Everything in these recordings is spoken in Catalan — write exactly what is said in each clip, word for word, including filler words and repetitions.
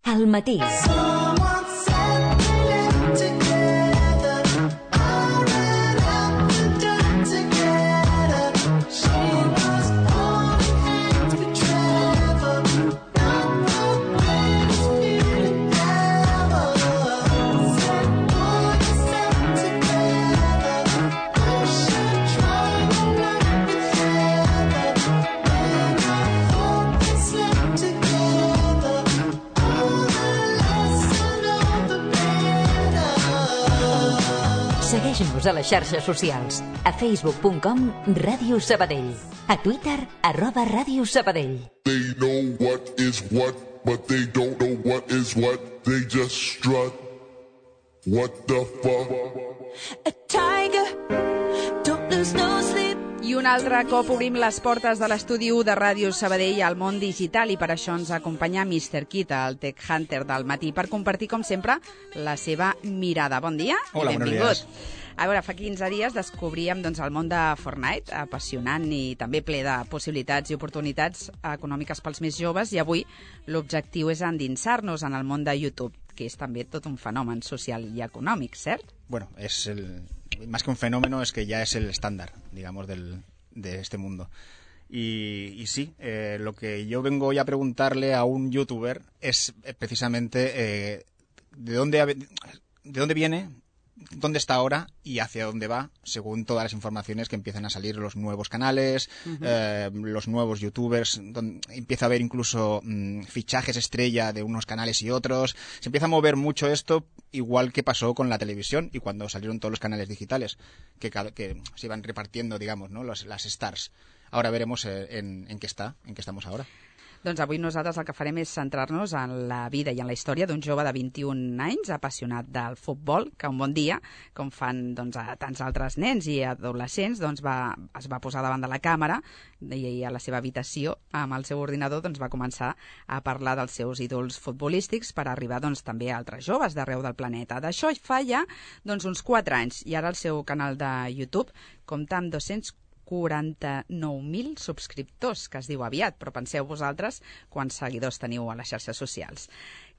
Al matí. Segueix-nos a les xarxes socials. A facebook punt com Ràdio Sabadell. A Twitter, arroba Ràdio Sabadell. They know what is what, but they don't know what is what. They just strut. What the fuck? A tiger, don't lose no sleep. I un altre cop obrim les portes de l'estudi u de Ràdio Sabadell al món digital i per això ens acompanya mister Kit, el Tech Hunter del matí, per compartir, com sempre, la seva mirada. Bon dia Hola, i benvingut. Buenos días. A veure, fa quinze dies descobríem doncs, el món de Fortnite, apassionant i també ple de possibilitats i oportunitats econòmiques pels més joves, i avui l'objectiu és endinsar-nos en el món de YouTube, que és també tot un fenomen social y económico, ¿cierto? Bueno, es el, más que un fenómeno, es que ya es el estándar, digamos, del, de este mundo. Y, y sí, eh, lo que yo vengo hoy a preguntarle a un youtuber es eh, precisamente eh, de dónde de dónde viene, dónde está ahora y hacia dónde va, según todas las informaciones que empiezan a salir, los nuevos canales, uh-huh. eh, los nuevos youtubers, donde empieza a haber incluso mmm, fichajes estrella de unos canales y otros. Se empieza a mover mucho esto, igual que pasó con la televisión y cuando salieron todos los canales digitales, que, que se iban repartiendo, digamos, ¿no? Los, las stars. Ahora veremos en, en qué está, en qué estamos ahora. Doncs avui nosaltres el que farem és centrar-nos en la vida i en la història d'un jove de vint-i-un anys, apassionat del futbol, que un bon dia, com fan doncs, a tants altres nens i adolescents, doncs, va, es va posar davant de la càmera i a la seva habitació, amb el seu ordinador, doncs, va començar a parlar dels seus ídols futbolístics per arribar doncs, també a altres joves d'arreu del planeta. D'això fa ja doncs, uns quatre anys, i ara el seu canal de YouTube compta amb dos-cents quaranta-nou mil subscriptors, que es diu aviat, però penseu vosaltres quants seguidors teniu a les xarxes socials.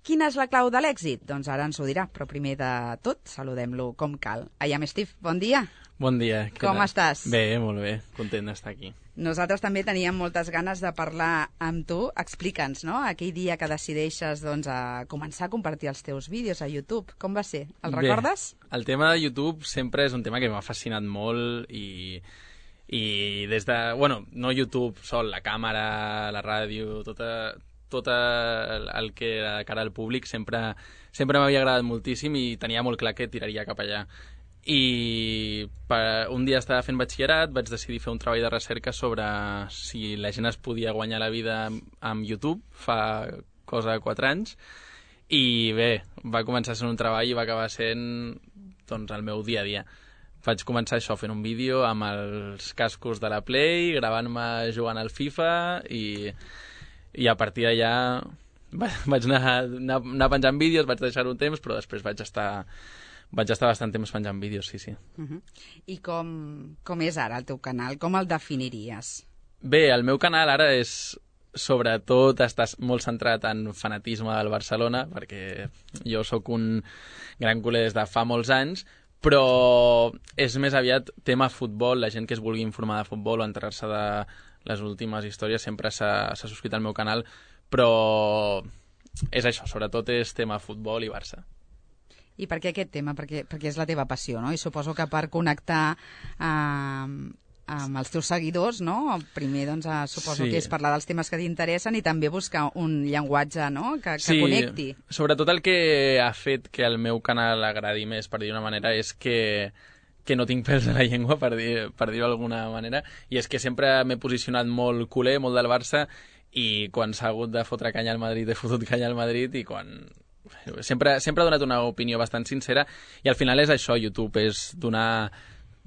Quina és la clau de l'èxit? Doncs ara ens ho dirà, però primer de tot saludem-lo com cal. Ayam Steve, bon dia. Bon dia. Com estàs? Bé, molt bé, content d'estar aquí. Nosaltres també teníem moltes ganes de parlar amb tu. Explica'ns, no?, aquell dia que decideixes doncs, a començar a compartir els teus vídeos a YouTube. Com va ser? El recordes? Bé, el tema de YouTube sempre és un tema que m'ha fascinat molt i... i des de, bueno, no YouTube sol, la càmera, la ràdio, tota, tot el que era de cara al públic sempre, sempre m'havia agradat moltíssim i tenia molt clar que tiraria cap allà. I per, un dia estava fent batxillerat, vaig decidir fer un treball de recerca sobre si la gent es podia guanyar la vida amb YouTube, fa cosa de quatre anys, i bé, va començar sent un treball i va acabar sent doncs, el meu dia a dia. Vaig començar això fent un vídeo amb els cascos de la Play, gravant-me jugant al FIFA i, i a partir d'allà vaig anar, anar, anar penjant vídeos, vaig deixar un temps, però després vaig estar, vaig estar bastant temps penjant vídeos, sí, sí. Uh-huh. I com, com és ara el teu canal? Com el definiries? Bé, el meu canal ara és, sobretot, estàs molt centrat en fanatisme del Barcelona, perquè jo sóc un gran culer des de fa molts anys, però és més aviat tema futbol. La gent que es vulgui informar de futbol o enterar-se de les últimes històries sempre s'ha subscrit al meu canal, però és això, sobretot és tema futbol i Barça. I per què aquest tema? Perquè, perquè és la teva passió, no? I suposo que per connectar eh, amb els teus seguidors, no? Primer, doncs, eh, suposo sí. que és parlar dels temes que t'interessen i també buscar un llenguatge, no?, que, que sí, connecti. Sobretot el que ha fet que el meu canal agradi més, per dir-ho d'una manera, és que, que no tinc pèls a la llengua, per dir, per dir-ho d'alguna manera, i és que sempre m'he posicionat molt culer, molt del Barça, i quan s'ha hagut de fotre canya al Madrid he fotut canya al Madrid, i quan... Sempre, sempre he donat una opinió bastant sincera, i al final és això, YouTube, és donar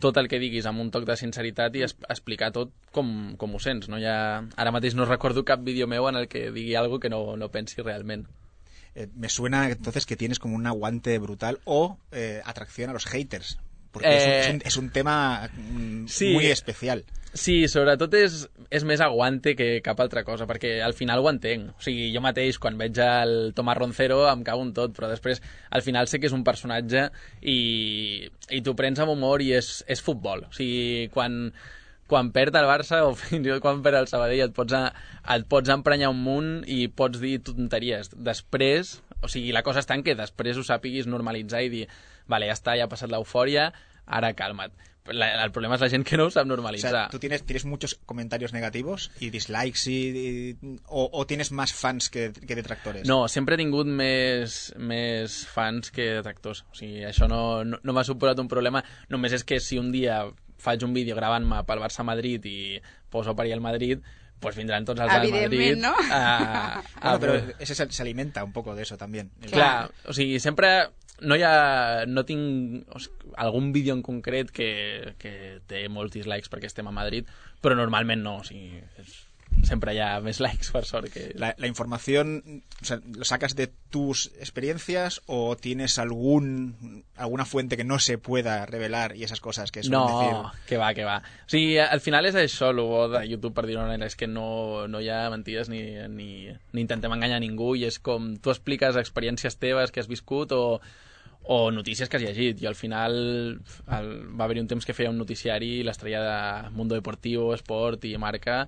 tot el que diguis amb un toc de sinceritat i es, explicar tot com, com ho sents, no? Ja, ara mateix no recordo cap vídeo meu en el que digui algo que no, no pensi realment. Eh, me suena entonces que tienes como un aguante brutal o eh, atracción a los haters, Porque Eh, es, un, es, un, es un tema mm, sí. muy especial. Sí, sobretot és, és més aguante que cap altra cosa, perquè al final ho entenc. O sigui, jo mateix, quan veig el Tomàs Roncero, em cago en tot, però després, al final sé que és un personatge i, i t'ho prens amb humor i és, és futbol. O sigui, quan, quan perd el Barça o fins i tot quan perd el Sabadell et pots, a, et pots emprenyar un munt i pots dir tonteries. Després, o sigui, la cosa està en que després ho sàpiguis normalitzar i dir, vale, ja està, ja ha passat l'eufòria, ara calma't. La, el problema és la gent que no ho sap normalitzar. O sea, ¿tú tienes, tienes muchos comentarios negativos y dislikes y, y, o, o tienes más fans que, que detractores? No, sempre he tingut més, més fans que detractors. O sigui, això no, no, no m'ha suposat un problema. Només és que si un dia faig un vídeo gravant-me pel Barça-Madrid i poso per allà el Madrid, pues vindran tots els del Madrid. Evidentment, no? A, a, Bueno, pero ese se, se alimenta un poco de eso también. Clar, o sigui, sempre no hi ha... No tinc o sigui, algun vídeo en concret que, que té molts dislikes perquè estem a Madrid, però normalment no, o sigui, és, sempre hi ha més likes, per sort. Que... La, la información, o sea, ¿lo sacas de tus experiencias o tienes algún alguna fuente que no se pueda revelar y esas cosas que suelen no, decir? No, que va, que va. O sigui, al final és això, el bo de YouTube, per dir-ho manera, és que no, no hi ha mentides ni, ni, ni intentem enganyar ningú i és com tu expliques experiències teves que has viscut o, o notícies que has llegit. I al final el, va haver-hi un temps que feia un noticiari, l'estrella de Mundo Deportivo, Esport i Marca,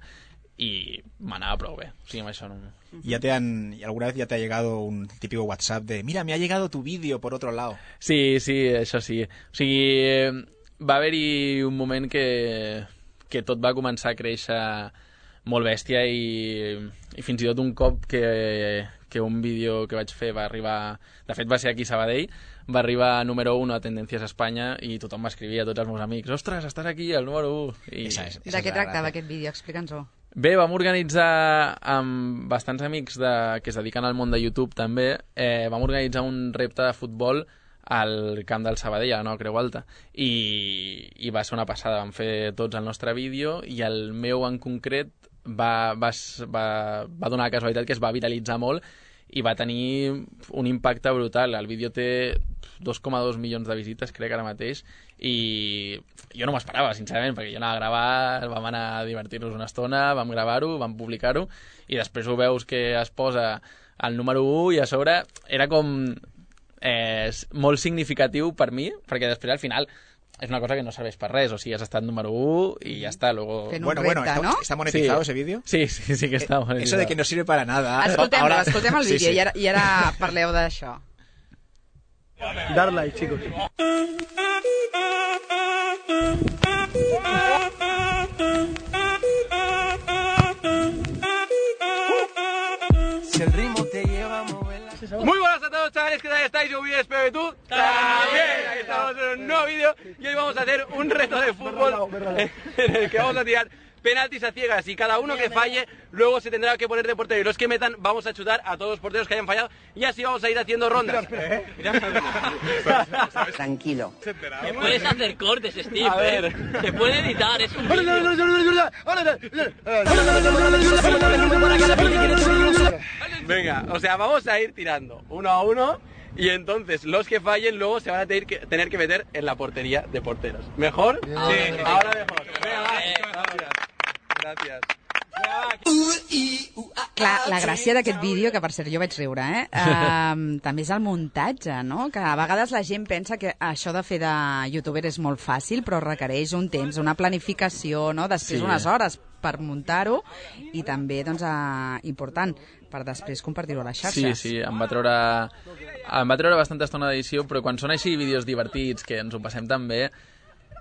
y m'anava prou bé, o sigui, amb això no... ¿Ya te han, alguna vez ya te ha llegado un típico WhatsApp de mira, me ha llegado tu vídeo por otro lado? Sí, sí, això sí. O sigui, va haver-hi un moment que, que tot va començar a créixer molt bèstia i, i fins i tot un cop que, que un vídeo que vaig fer va arribar... De fet, va ser aquí a Sabadell, va arribar número uno a Tendències a Espanya i tothom m'escrivia, tots els meus amics, ostres, estàs aquí, el número u. I... Esa es, esa De es què la tractava gracia. aquest vídeo? Explica'ns-ho. Bé, vam organitzar amb bastants amics de, que es dediquen al món de YouTube també, eh, vam organitzar un repte de futbol al camp del Sabadell, a la nova Creu Alta, i, i va ser una passada. Vam fer tots el nostre vídeo i el meu en concret va, va, va, va donar la casualitat que es va viralitzar molt i va tenir un impacte brutal. El vídeo té dos coma dos milions de visites, crec, ara mateix, i jo no m'esperava, sincerament, perquè jo anava a gravar, vam anar a divertir-nos una estona, vam gravar-ho, vam publicar-ho, i després ho veus que es posa el número u i a sobre era com eh, molt significatiu per mi, perquè després al final és una cosa que no serveix per res, o sigui, has estat número u i ja està, luego... Fent un Bueno, repte, bueno, ¿está, no? ¿está monetizado Sí. ese vídeo? Sí, sí, sí que està Eh, monetitzat. Eso de que no sirve para nada. Escoltem-lo, Ahora- escoltem el Sí, vídeo sí. I, ara, i ara parleu d'això. Dar like, chicos. Si el ritmo te lleva a moverla. Muy buenas a todos, chavales, ¿qué tal estáis? Yo bien, espero que tú también. Aquí estamos en un nuevo vídeo y hoy vamos a hacer un reto de fútbol en el que vamos a tirar penaltis a ciegas y cada uno que falle luego se tendrá que poner de portero y los que metan vamos a chutar a todos los porteros que hayan fallado y así vamos a ir haciendo rondas. Tranquilo. Te puedes hacer cortes, Steve. A ver. ¿eh? Se puede editar, es un vídeo. Venga, o sea, vamos a ir tirando uno a uno y entonces los que fallen luego se van a tener que, tener que meter en la portería de porteros. ¿Mejor? Sí, ahora mejor. Venga, va. Gracias. Gracias. Clar, la gràcia d'aquest vídeo, que per cert jo vaig riure, eh? Uh, també és el muntatge, no? Que a vegades la gent pensa que això de fer de youtuber és molt fàcil, però requereix un temps, una planificació, no? Després Sí. unes hores per muntar-ho i també, doncs, uh, important, per després compartir-ho a les Sí, xarxes. sí, em va treure, em va treure bastanta estona d'edició, però quan són així vídeos divertits, que ens ho passem tan bé,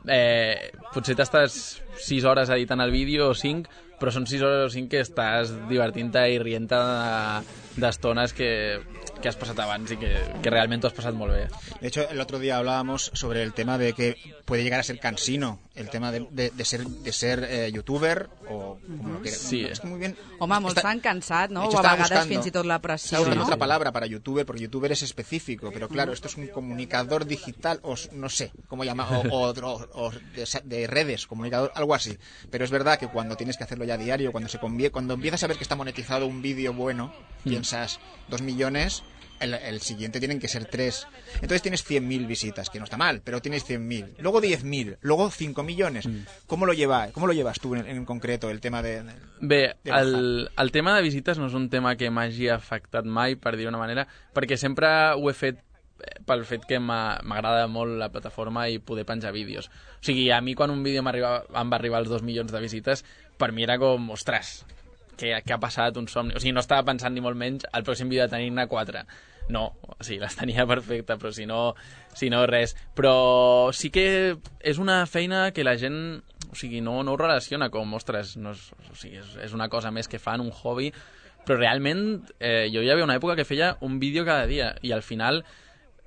eh, potser t'estàs sis hores editant el vídeo o cinc, però són sis hores o cinc que estàs divertint-te i rient-te d'estones que, que has passat abans i que, que realment t'ho has passat molt bé. De hecho, el otro día hablábamos sobre el tema de que puede llegar a ser cansino el tema de, de, de ser, de ser eh, youtuber o como lo quieras. Sí. Es que muy bien. Home, molts Está- s'han cansat, no? De hecho, O a estaba vegades buscando- fins i tot la Estaba pressió, buscando no? otra palabra para youtuber, porque youtuber es específico, pero claro, esto es un comunicador digital, o s- no sé cómo llamar, o, o, o- o de, sa- de redes, comunicador, algo así. Pero es verdad que cuando tienes que hacerlo ya a diario, cuando se convie- cuando empiezas a ver que está monetizado un vídeo bueno, piensas dos millones el, el siguiente tienen que ser tres. Entonces tienes cien mil visitas, que no está mal, pero tienes cien mil. Luego diez mil, luego cinco millones. Mm. ¿Cómo lo lleva, cómo lo llevas tú en, en concreto, el tema de... de Bé, de el, el tema de visites no és un tema que m'hagi afectat mai, per dir-ho d'una manera, perquè sempre ho he fet pel fet que m'agrada molt la plataforma i poder penjar vídeos. O sigui, a mi quan un vídeo em va arribar als dos milions de visites, per mi era com, ostres, què, què ha passat, un somni? O sigui, no estava pensant ni molt menys el pròxim vídeo de tenir-ne quatre. No, o sigui, les tenia perfecta, però si no, si no res. Però sí que és una feina que la gent, o sigui, no, no ho relaciona com, ostres, no és, o sigui, és, és una cosa més que fan, un hobby, però realment eh, jo hi havia una època que feia un vídeo cada dia i al final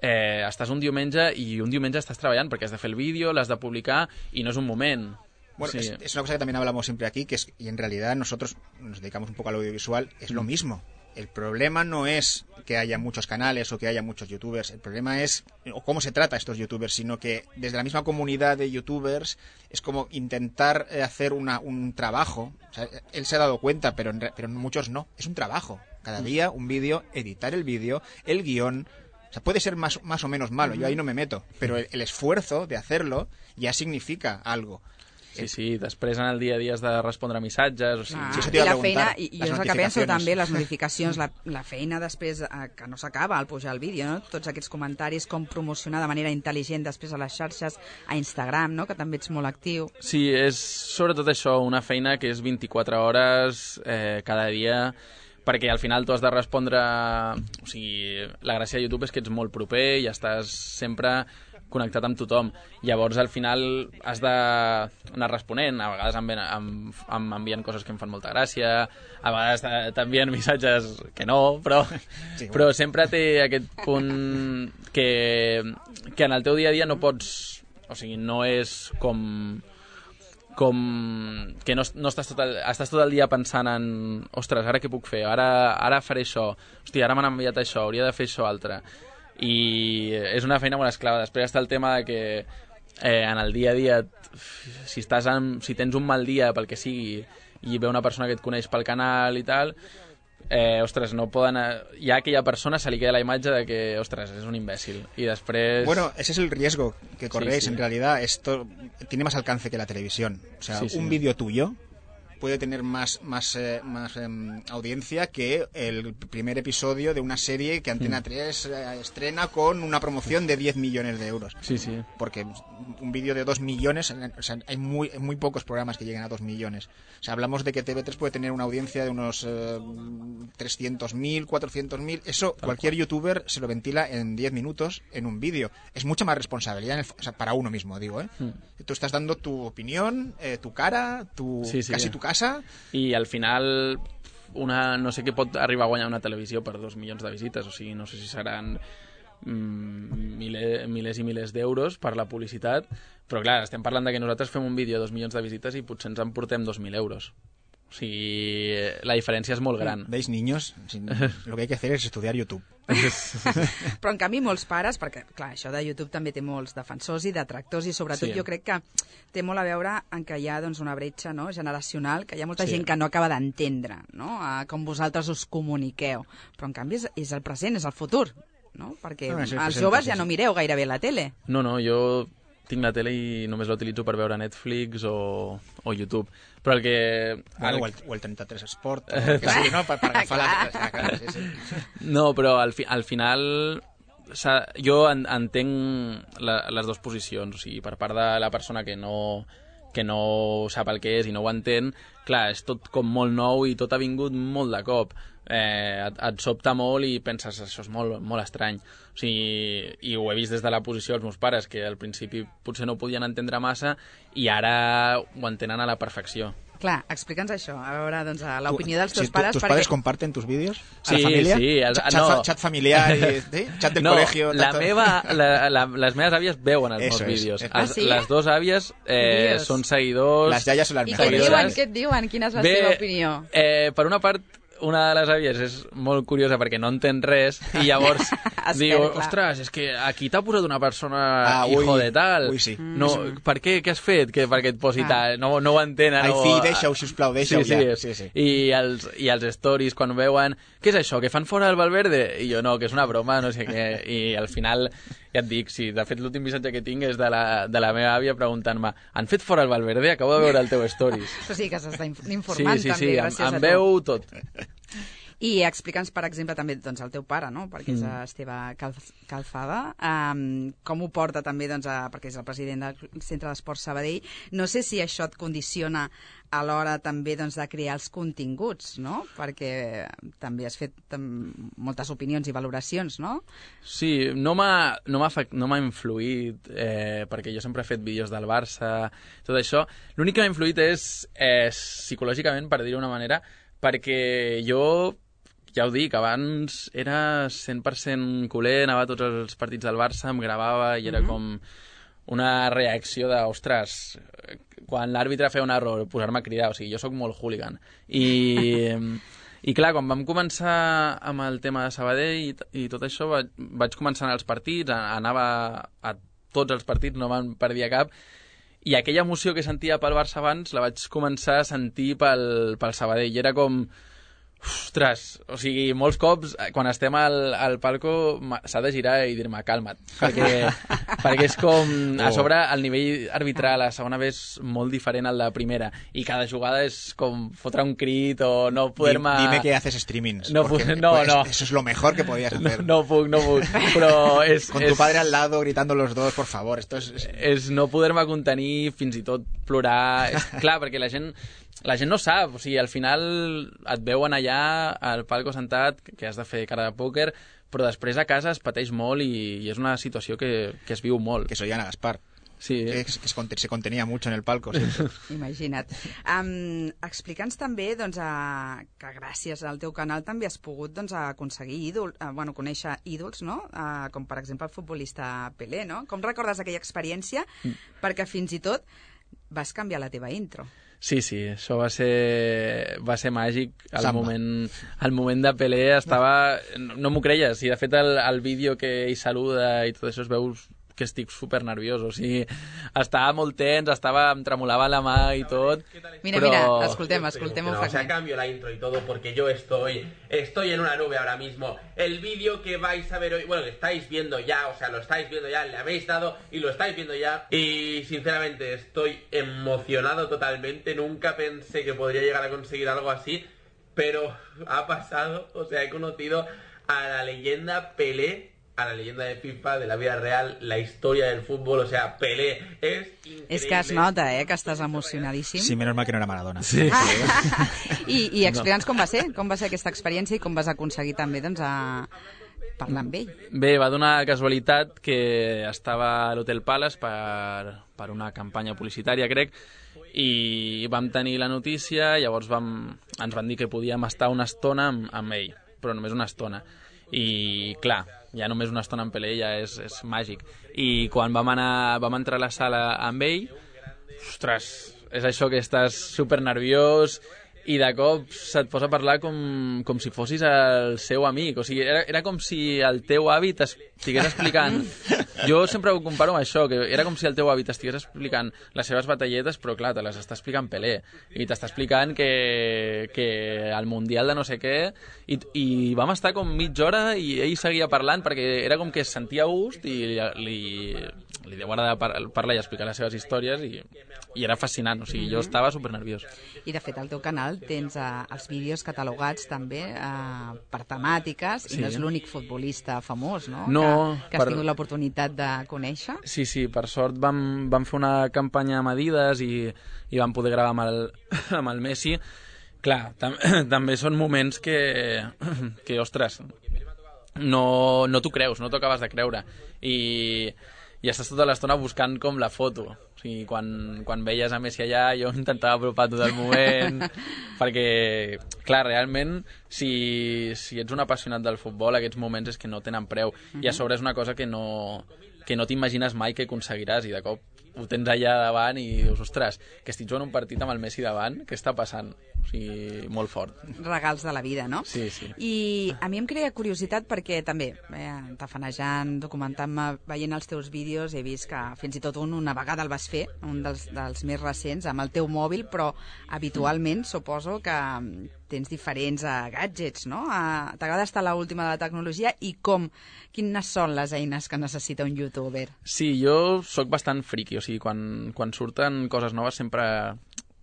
eh, estàs un diumenge i un diumenge estàs treballant perquè has de fer el vídeo, l'has de publicar i no és un moment. Bueno, sí. es, es una cosa que también hablamos siempre aquí, que es, y en realidad nosotros nos dedicamos un poco al audiovisual, es lo mismo. El problema no es que haya muchos canales o que haya muchos youtubers, el problema es o cómo se trata a estos youtubers, sino que desde la misma comunidad de youtubers es como intentar hacer una, un trabajo. O sea, él se ha dado cuenta, pero, en, pero muchos no. Es un trabajo. Cada día un vídeo, editar el vídeo, el guión. O sea, puede ser más, más o menos malo, yo ahí no me meto, pero el, el esfuerzo de hacerlo ya significa algo. Sí, sí, després en el dia a dia has de respondre a missatges, o sigui... Ah, sí, i la feina, i, i jo és el que penso també, les notificacions, la, la feina després, eh, que no s'acaba al pujar el vídeo, no? Tots aquests comentaris, com promocionar de manera intel·ligent després a les xarxes, a Instagram, no? Que també ets molt actiu. Sí, és sobretot això, una feina que és vint-i-quatre hores eh, cada dia, perquè al final tu has de respondre... O sigui, la gràcia de YouTube és que ets molt proper i estàs sempre connectat amb tothom. Llavors, al final, has d'anar responent. A vegades em, em, em envien coses que em fan molta gràcia, a vegades t'envien missatges que no, però, sí, però sempre té aquest punt que, que en el teu dia a dia no pots... O sigui, no és com... com que no, no estàs, tot el, estàs tot el dia pensant en ostres, ara què puc fer? Ara, ara faré això. Hòstia, ara m'han enviat això, hauria de fer això altre. I és una feina molt esclava. Després està el tema de que eh, en el dia a dia, si, estàs en, si tens un mal dia pel que sigui i ve una persona que et coneix pel canal i tal, eh, ostres, no poden... Ja a aquella persona se li queda la imatge de que, ostres, és un imbècil. I després... Bueno, ese es el riesgo que corréis. Sí, sí. En realidad esto tiene más alcance que la televisión. O sea, sí, sí. un vídeo tuyo puede tener más, más, eh, más eh, audiencia que el primer episodio de una serie que Antena tres eh, estrena con una promoción de diez millones de euros. Sí, sí. Porque un vídeo de dos millones, o sea, hay muy, muy pocos programas que lleguen a dos millones. O sea, hablamos de que T V tres puede tener una audiencia de unos eh, trescientos mil, cuatrocientos mil. Eso Tal cualquier cual. youtuber se lo ventila en diez minutos en un vídeo. Es mucha más responsabilidad en el, o sea, para uno mismo, digo, ¿eh? Mm. Tú estás dando tu opinión, eh, tu cara, tu, sí, sí, casi tu casa. I al final una, no sé què pot arribar a guanyar una televisió per dos milions de visites, o sigui, no sé si seran mm, mile, milers i milers d'euros per la publicitat, però clar, estem parlant de que nosaltres fem un vídeo de dos milions de visites i potser ens emportem dos mil euros. O sigui, la diferència és molt gran. ¿Veis, niños? Lo que hay que hacer es estudiar YouTube. Però en canvi molts pares, perquè clar, això de YouTube també té molts defensors i detractors i sobretot sí. Jo crec que té molt a veure en que hi ha doncs, una bretxa, no, generacional, que hi ha molta sí. gent que no acaba d'entendre, no, a com vosaltres us comuniqueu, però en canvi és, és el present, és el futur, no? Perquè no, no, els joves ja no mireu gairebé la tele. No, no, jo tinc la tele i només la utilitzo per veure Netflix o, o YouTube. Però el que... Bueno, el... O, el, o el trenta-tres Sport, o el que sigui, no? Per, per agafar les... Ah, clar, sí, sí. No, però al, fi, al final jo en, entenc la, les dues posicions. O sigui, per part de la persona que no, que no sap el que és i no ho entén, clar, és tot com molt nou i tot ha vingut molt de cop. Eh, et, et sobta molt i penses, això és molt, molt estrany. O sigui, i ho he vist des de la posició dels meus pares, que al principi potser no ho podien entendre massa i ara ho entenen a la perfecció. Clar, explica'ns això, a veure, doncs, l'opinió dels teus sí, pares... ¿Tus perquè... padres comparten tus vídeos? ¿A sí, la familia? Sí, el, chat, no. chat familiar, y, ¿sí? Chat del no, colegio... La meva, la, la, les meves àvies veuen els Eso meus vídeos. Es. Ah, sí? Les dues àvies eh, són seguidors... Les iaies són les I mejores. què et diuen? Què et diuen? Quina és la Bé, seva opinió? Eh, per una part, una de les àvies és molt curiosa perquè no entén res i llavors Es Diu, perd, clar. ostres, és que aquí t'ha posat una persona Ah, hijo ui, de tal. ui, sí. No, per què? Què has fet? Que, perquè et posi Ah. tal. No, no ho entenen. Ai, no... fill, deixa-ho, sisplau, deixa-ho sí, ja. Sí, Sí, sí. I els, I els stories, quan ho veuen, què és això, que fan fora el Valverde? I jo, no, que és una broma, no sé què. I al final, ja et dic, sí, de fet l'últim missatge que tinc és de la, de la meva àvia preguntant-me, han fet fora el Valverde? Acabo de veure el teu stories. Això sí que s'està inf- informant sí, sí, també, sí, gràcies em, a em tu. veu tot. I explica'ns, per exemple, també doncs, el teu pare, no? perquè és Mm. Esteve Calf- Calzada, um, com ho porta també, doncs, a, perquè és el president del Centre d'Esports Sabadell. No sé si això et condiciona a l'hora també doncs, de crear els continguts, no? Perquè també has fet tam, moltes opinions i valoracions, no? Sí, no m'ha no m'ha afect- no m'ha influït, eh, perquè jo sempre he fet vídeos del Barça, tot això. L'únic que m'ha influït és eh, psicològicament, per dir-ho d'una manera, perquè jo, ja ho dic, abans era cent per cent culer, anava a tots els partits del Barça, em gravava i era Mhm. com una reacció de, ostres, quan l'àrbitre feia un error, posar-me a cridar, o sigui, jo sóc molt hooligan. I, i clar, quan vam començar amb el tema de Sabadell i, t- i tot això, vaig, vaig començar a anar als partits, a- anava a tots els partits, no me'n perdia cap, i aquella emoció que sentia pel Barça abans la vaig començar a sentir pel, pel Sabadell. I era com... Ostres, o sigui, molts cops, eh, quan estem al, al palco, ma- s'ha de girar i dir-me, calma't, perquè, perquè és com... A sobre, el nivell arbitral a segona B és molt diferent al de primera, i cada jugada és com fotre un crit o no poder-me... Dime que haces streamings. No, porque, puc- no, pues, no. Eso es lo mejor que podías No, hacer. no puc, no puc, però és... Con és... tu padre al lado, gritando los dos, por favor. Esto es... es- és no poder-me contenir, fins i tot plorar. És clar, perquè la gent, la gent no sap, o sigui, al final et veuen allà al palco sentat, que has de fer cara de pòquer, però després a casa es pateix molt i, i és una situació que, que es viu molt. Que soy Ana Gaspar. Sí. Que, que se conte- se contenía mucho en el palco. siempre. Imagina't. Um, Explica'ns també doncs, a, que gràcies al teu canal també has pogut doncs, aconseguir ídol, uh, bueno, conèixer ídols, no? Uh, com per exemple el futbolista Pelé, no? Com recordes aquella experiència? Mm. Perquè fins i tot vas canviar la teva intro. Sí, sí, això va ser, va ser màgic. Al Samba. moment, al moment de Pelé estava... No, no m'ho creies, i de fet el, el vídeo que ell saluda i tot això es veu que estic super nerviós, o sigui, estava molt tens, estava, em tremolava la mà i tot, Mira, però... mira, escoltem, escoltem un No, o sea, fragment. cambio la intro y todo porque yo estoy estoy en una nube ahora mismo. El vídeo que vais a ver hoy, bueno, que estáis viendo ya, o sea, lo estáis viendo ya, le habéis dado y lo estáis viendo ya. Y sinceramente estoy emocionado totalmente. Nunca pensé que podría llegar a conseguir algo así, pero ha pasado. O sea, he conocido a la leyenda Pelé, a la leyenda de FIFA, de la vida real, la historia del fútbol. O sea, Pelé es increíble. És que es nota, eh, que estàs emocionadíssim. Sí, menos mal que no era Maradona. Sí. I, i explica'ns com va ser, com va ser aquesta experiència i com vas aconseguir també doncs, a parlar amb ell. Bé, va donar casualitat que estava a l'Hotel Palace per, per una campanya publicitària, crec, i vam tenir la notícia, llavors vam, ens van dir que podíem estar una estona amb, amb ell, però només una estona. I, clar, ja només una estona amb Pelé ja és, és màgic. I quan vam, anar, vam entrar a la sala amb ell, ostres, és això que estàs super nerviós i de cop se't posa a parlar com, com si fossis el seu amic. O sigui, era, era com si el teu avi t'estigués explicant... Jo sempre ho comparo amb això, que era com si el teu avi t'estigués explicant les seves batalletes, però clar, te les està explicant Pelé. I t'està explicant que, que el Mundial de no sé què... I, I vam estar com mitja hora i ell seguia parlant perquè era com que es sentia a gust i li, li, li deu agradar par parlar i explicar les seves històries i, i era fascinant. O sigui, jo estava super nerviós. I de fet al teu canal tens uh, els vídeos catalogats també uh, per temàtiques, Sí. i no és l'únic futbolista famós, no? No, que, que has per- tingut l'oportunitat de conèixer. Sí, sí, per sort vam, vam fer una campanya amb Adidas i, i vam poder gravar amb el, amb el Messi. Clar, tam també són moments que, que ostres, no, no t'ho creus, no t'ho acabes de creure. I, i estàs tota l'estona buscant com la foto. O sigui, quan, quan veies a Messi allà, jo intentava apropar tot el moment, perquè, clar, realment, si, si ets un apassionat del futbol, aquests moments és que no tenen preu. I a sobre és una cosa que no, que no t'imagines mai que aconseguiràs, i de cop ho tens allà davant i dius, ostres, que estic jugant un partit amb el Messi davant, què està passant? O o sigui, molt fort. Regals de la vida, no? Sí, sí. I a mi em crea curiositat perquè també, eh, tafanejant, documentant-me, veient els teus vídeos, he vist que fins i tot un una vegada el vas fer, un dels, dels més recents, amb el teu mòbil, però habitualment suposo que tens diferents uh, gadgets, no? Uh, T'agrada estar a l'última de la tecnologia i com, quines són les eines que necessita un youtuber? Sí, jo sóc bastant friki, o sigui, quan, quan surten coses noves sempre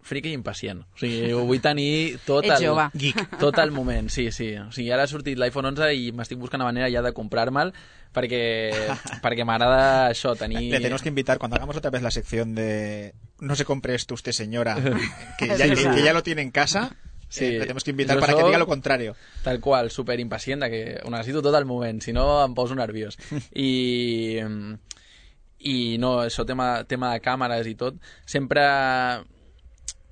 friki i impacient. O sigui, ho vull tenir tot Ets el, jove. geek, tot el moment, sí, sí. O sigui, ara ha sortit l'iPhone onze i m'estic buscant una manera ja de comprar-me'l perquè, perquè m'agrada això, tenir... Le tenemos que invitar, cuando hagamos otra vez la sección de no se compre esto usted, señora, que ya, que, que ya lo tiene en casa... Sí, eh, le tenemos que invitar para que diga lo contrario. Tal qual, super impacient, de que ho necessito tot al moment, si no em poso nerviós. I, i no, això, tema, tema de càmeres i tot, sempre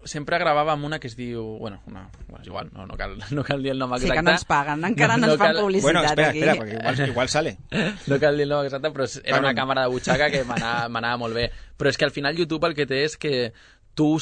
sempre gravava amb una que es diu... Bueno, una, bueno és igual, no, no, cal, no cal dir el nom exacte. Sí, que no ens paguen, encara no, no ens fan cal... publicitat bueno, espera, aquí. Espera, perquè igual, igual sale. No cal dir el nom exacte, però era una càmera de butxaca que m'anava molt bé. Però és que al final YouTube el que té és que tu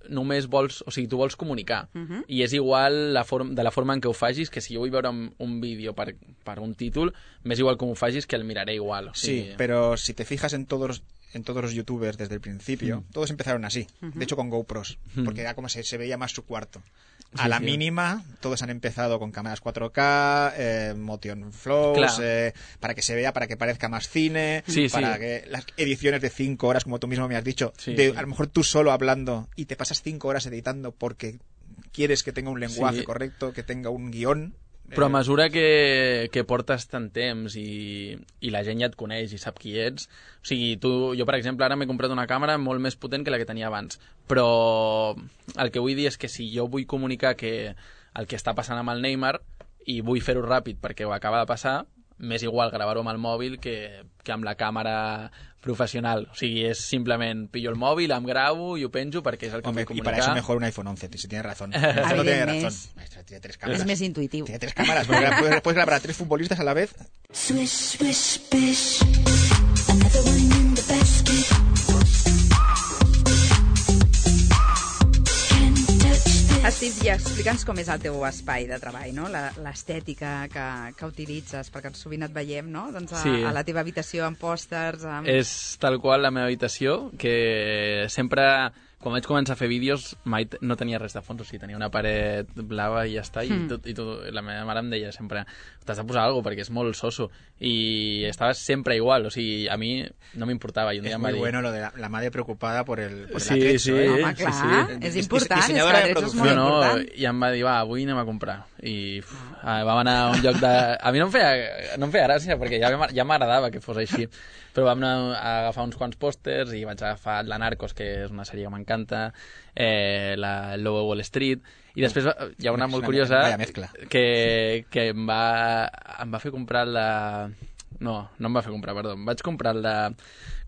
només vols, o sigui, tu vols comunicar uh -huh. i és igual la forma, de la forma en què ho facis, que si jo vull veure un, un vídeo per, per un títol, m'és igual com ho facis que el miraré igual. O sigui... Sí, pero si te fijas en todos en todos los youtubers desde el principio, mm. todos empezaron así, uh-huh. de hecho con GoPros, mm. porque era como se, se veía más su cuarto. A sí, la sí. mínima, todos han empezado con cámaras cuatro K, eh, motion flows, eh, para que se vea, para que parezca más cine, sí, para sí. que las ediciones de cinco horas, como tú mismo me has dicho, sí, de, sí. a lo mejor tú solo hablando y te pasas cinco horas editando porque quieres que tenga un lenguaje sí. correcto, que tenga un guión. Però a mesura que, que portes tant temps i, i la gent ja et coneix i sap qui ets, o sigui, tu, jo per exemple ara m'he comprat una càmera molt més potent que la que tenia abans, però el que vull dir és que si jo vull comunicar que el que està passant amb el Neymar i vull fer-ho ràpid perquè ho acaba de passar, m'és igual gravar-ho amb el mòbil que, que amb la càmera professional. O sigui, és simplement pillo el mòvil, em gravo i ho penjo perquè és el que Hombre, vull comunicar. Y para eso mejor un iPhone once, si tiene razón. Eso no tiene razón. Maestro, tiene tres cámaras. És més intuitiu. Tiene tres cámaras. Puedes, puedes grabar a tres futbolistas a la vez. Swish, swish, bish. Another one in the basket. Steve, ja explica'ns com és el teu espai de treball, no? L'estètica que, que utilitzes, perquè sovint et veiem, no? Doncs a, sí. a la teva habitació amb pòsters... Amb... És tal qual la meva habitació, que sempre... Quan vaig començar a fer vídeos mai no tenia res de fons, o sigui, tenia una paret blava i ja està, i, Mm. tot, i tot, la meva mare em deia sempre t'has de posar alguna cosa perquè és molt soso, i estava sempre igual, o sigui, a mi no m'importava. I un dia Es em va muy dir... bueno lo de la, la madre preocupada por el, por Sí, el atrecho, sí, ¿eh? Home, clar, sí, sí. és important, és que Dissenyadora de l'atrecho és producció. molt No, no, important. i em va dir, va, avui anem a comprar. I uf, ah, vam anar a un lloc de... A mi no em feia, no em feia gràcia, perquè ja, ja m'agradava que fos així. Però vam anar a agafar uns quants pòsters i vaig agafar La Narcos, que és una sèrie que m'encanta, eh, la El Lobo de Wall Street, i després hi ha una molt curiosa que, que em, va, em va fer comprar la... No, no em va fer comprar, perdó. Em vaig comprar la...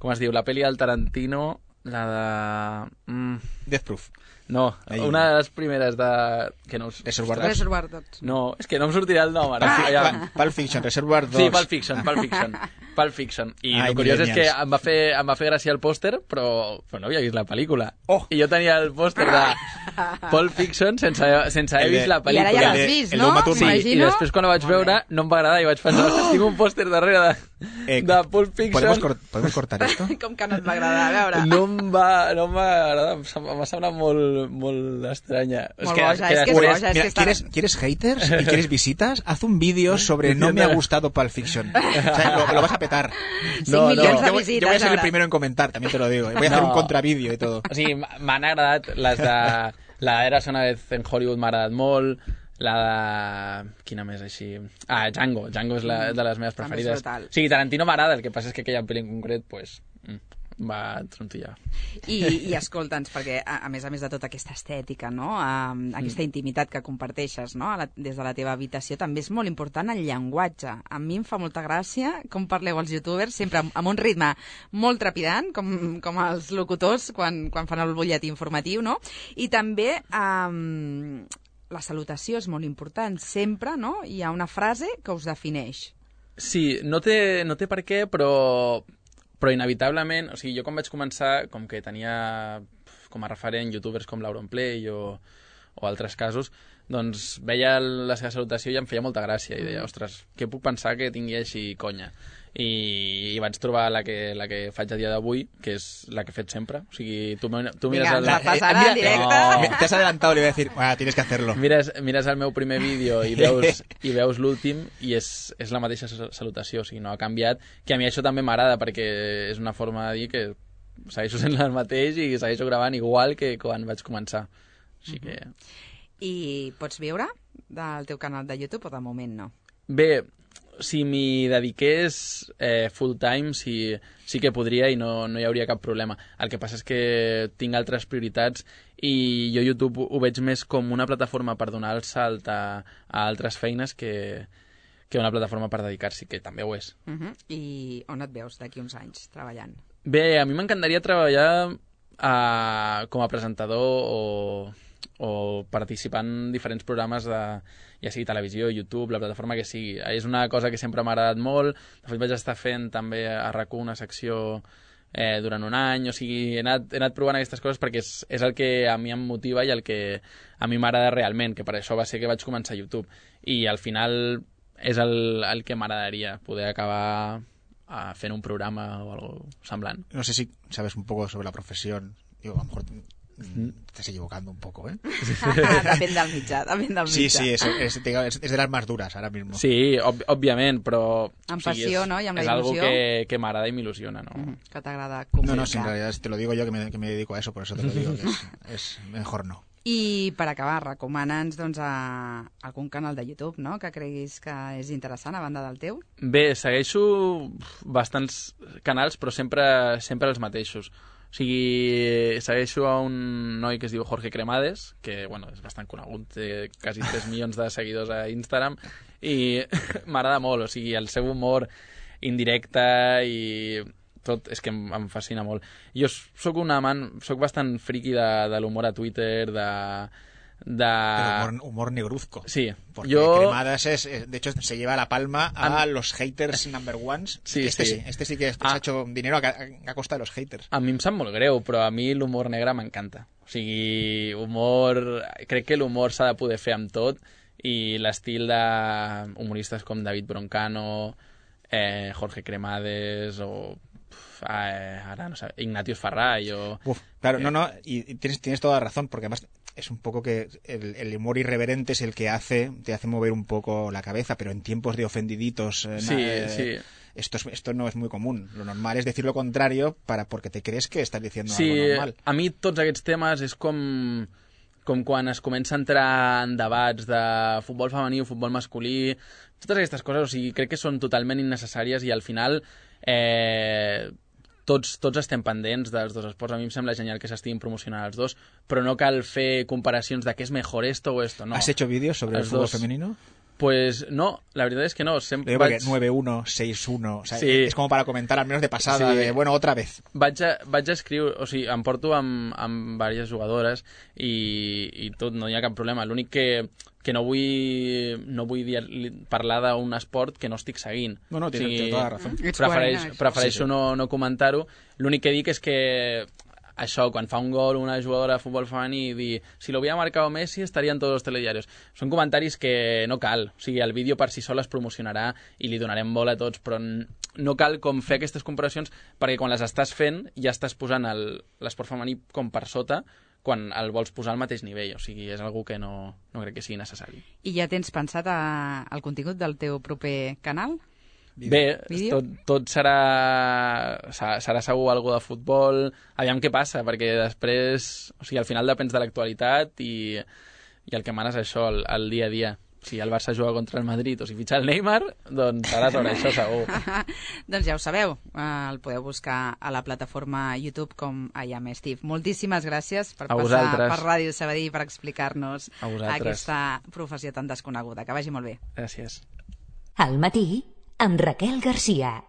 Com es diu? La pel·li del Tarantino, la de... Mm. Death Proof. No, Ahí. una de les primeres de... Que no, Reservoir Dogs. Reservoir Dogs. No, és que no em sortirà el nom ara. Ah, Ja. Pulp Fiction, Reservoir Dogs. Sí, Pulp Fiction, Pulp Fiction. Pulp Fiction. I Ai, el curiós és que millennials. em va fer, em va fer gràcia el pòster, però, però no havia vist la pel·lícula. Oh. I jo tenia el pòster de Pulp Fiction sense, sense haver El de- vist la I ara pel·lícula. ja El l'has de- vist, el no? d'Uma Thurman. Sí, i M'imagino. després quan ho vaig veure no em va agradar i vaig pensar, ostres, tinc un pòster darrere de, Eh, de Pulp Fiction. ¿Podemos, cor- ¿Podemos cortar esto? Com que no et va agradar, a veure. No em va, no em va agradar, em sem- m'ha semblat molt, molt estranya. Molt boja, és que és després- boja, és Mira, que està... ¿quieres, ¿quieres haters y quieres visitas? Haz un vídeo sobre no me ha gustado Pulp Fiction. O sea, lo, lo vas a petar. cinc No, no. milions de Yo voy, visites, yo voy a ser el ara. primero en comentar, también te lo digo. Voy a hacer No. un contravídeo y todo. O sigui, m'han agradat les de... La Eras una vez en Hollywood m'ha agradat molt, la de... Quina més així? Ah, Django. Django és la, de les meves També és preferides. brutal. O sigui, Tarantino m'agrada, el que passa és que aquella pel·li en concret, pues, mm, va trontollar. I, i escolta'ns, perquè a, a més a més de tota aquesta estètica, no? Um, aquesta intimitat que comparteixes, no? A la, des de la teva habitació, també és molt important el llenguatge. A mi em fa molta gràcia com parleu els youtubers, sempre amb, amb un ritme molt trepidant, com, com els locutors quan, quan fan el butlletí informatiu, no? I també um, la salutació és molt important. Sempre, no? Hi ha una frase que us defineix. Sí, no té, no té per què, però, però inevitablement, o sigui, jo quan vaig començar, com que tenia com a referent youtubers com l'Auronplay o, o altres casos, doncs veia la seva salutació i em feia molta gràcia i deia, ostres, què puc pensar que tingui així conya? I, i vaig trobar la que, la que faig a dia d'avui, que és la que he fet sempre. O sigui, tu, tu mires... Vinga, el... la passarà en directe. No. Te has adelantado, le voy a decir, bueno, tienes que hacerlo. Mires, mires el meu primer vídeo i veus, i veus l'últim i és, és la mateixa salutació, o sigui, no ha canviat, que a mi això també m'agrada perquè és una forma de dir que segueixo sent el mateix i segueixo gravant igual que quan vaig començar. Així que... I pots viure del teu canal de YouTube o de moment no? Bé, si m'hi dediqués eh, full time sí, sí que podria i no, no hi hauria cap problema. El que passa és que tinc altres prioritats i jo YouTube ho veig més com una plataforma per donar el salt a, a altres feines que, que una plataforma per dedicar-s'hi, que també ho és. Uh -huh. I on et veus d'aquí uns anys treballant? Bé, a mi m'encantaria treballar a, com a presentador o, o participar en diferents programes de, ja sigui televisió, YouTube, la plataforma que sigui. És una cosa que sempre m'ha agradat molt. De fet, vaig estar fent també a RAC u una secció eh, durant un any. O sigui, he anat, he anat provant aquestes coses perquè és, és el que a mi em motiva i el que a mi m'agrada realment, que per això va ser que vaig començar a YouTube. I al final és el, el que m'agradaria, poder acabar a fent un programa o algo semblant. No sé si sabes un poco sobre la profesión. Digo, a lo mejor te estás equivocando un poco, ¿eh? Depèn del mitjà, depèn del mitjà. Sí, sí, es, es, es, es de las más duras ahora mismo. Sí, ob òbviament, però... Amb passió, o sigui, és, no? I amb la és il·lusió. És algo que, que m'agrada i m'il·lusiona, no? Mm, que t'agrada comunicar. No, no, si en realidad te lo digo yo que me, que me dedico a eso, por eso te lo digo, que es, es mejor no. I per acabar, recomana'ns doncs, a algun canal de YouTube, no?, que creguis que és interessant a banda del teu. Bé, segueixo bastants canals, però sempre, sempre els mateixos. O sigui, segueixo a un noi que es diu Jorge Cremades, que, bueno, és bastant conegut, té quasi tres milions de seguidors a Instagram, i m'agrada molt, o sigui, el seu humor indirecte i tot, és que em, em fascina molt. Jo sóc un amant, sóc bastant friqui de, de l'humor a Twitter, de... de... Pero humor, humor negruzco. Sí. Porque yo... Cremadas es, de hecho, se lleva la palma a, a los haters number ones. Sí, este sí. sí. Este sí que Ah. se ha hecho dinero a, a costa de los haters. A mi em sap molt greu, però a mi l'humor negre m'encanta. O sigui, humor... Crec que l'humor s'ha de poder fer amb tot i l'estil de humoristes com David Broncano, eh, Jorge Cremades o... Eh, ara no sé, Ignatius Farray o... Uf, claro, eh, no, no, y tienes, tienes toda la razón, porque además es un poco que el, el humor irreverente es el que hace, te hace mover un poco la cabeza, pero en tiempos de ofendiditos, eh, Sí, eh, sí. Esto, es, esto no es muy común. Lo normal es decir lo contrario para porque te crees que estás diciendo Sí, algo normal. a mi tots aquests temes és com, com quan es comença a entrar en debats de futbol femení o futbol masculí, totes aquestes coses, o sigui, crec que són totalment innecessàries i al final eh, tots, tots estem pendents dels dos esports. A mi em sembla genial que s'estiguin promocionant els dos, però no cal fer comparacions de què és mejor esto o esto, no. ¿Has hecho vídeos sobre el Els fútbol dos. femenino? Pues no, la veritat és que no. Sempre Digo, porque vaig... nueve uno, seis uno, o sea, Sí. es como para comentar al menos de pasada, Sí. de bueno, otra vez. Vaig, a, vaig a escriure, o sigui, em porto amb, amb diverses jugadores i, i tot, no hi ha cap problema. L'únic que, que no vull, no vull dir, parlar d'un esport que no estic seguint. No, no, tienes, O sigui, tienes toda la razón. Ets Prefereix, coherent, això. prefereixo Sí, sí. no, no comentar-ho. L'únic que dic és que això, quan fa un gol una jugadora de futbol femení i dir si lo hubiera marcado Messi estaria en tots els telediarios. Són comentaris que no cal. O sigui, el vídeo per si sol es promocionarà i li donarem bola a tots, però no cal com fer aquestes comparacions perquè quan les estàs fent ja estàs posant el- l'esport femení com per sota quan el vols posar al mateix nivell. O sigui, és algo que no, no crec que sigui necessari. I ja tens pensat a, el contingut del teu proper canal? Bé, Vídeo? tot, tot serà, serà serà segur algo de futbol, aviam què passa, perquè després, o sigui, al final depens de l'actualitat i, i el que mana és això, el, el dia a dia. Si el Barça juga contra el Madrid o si fitxa el Neymar, doncs serà sobre això segur. Doncs ja ho sabeu, eh, el podeu buscar a la plataforma YouTube com I Am Steve. Moltíssimes gràcies per A passar vosaltres. per Ràdio Sabadell per explicar-nos A vosaltres. aquesta professió tan desconeguda. Que vagi molt bé. Gràcies. Al matí, amb Raquel Garcia.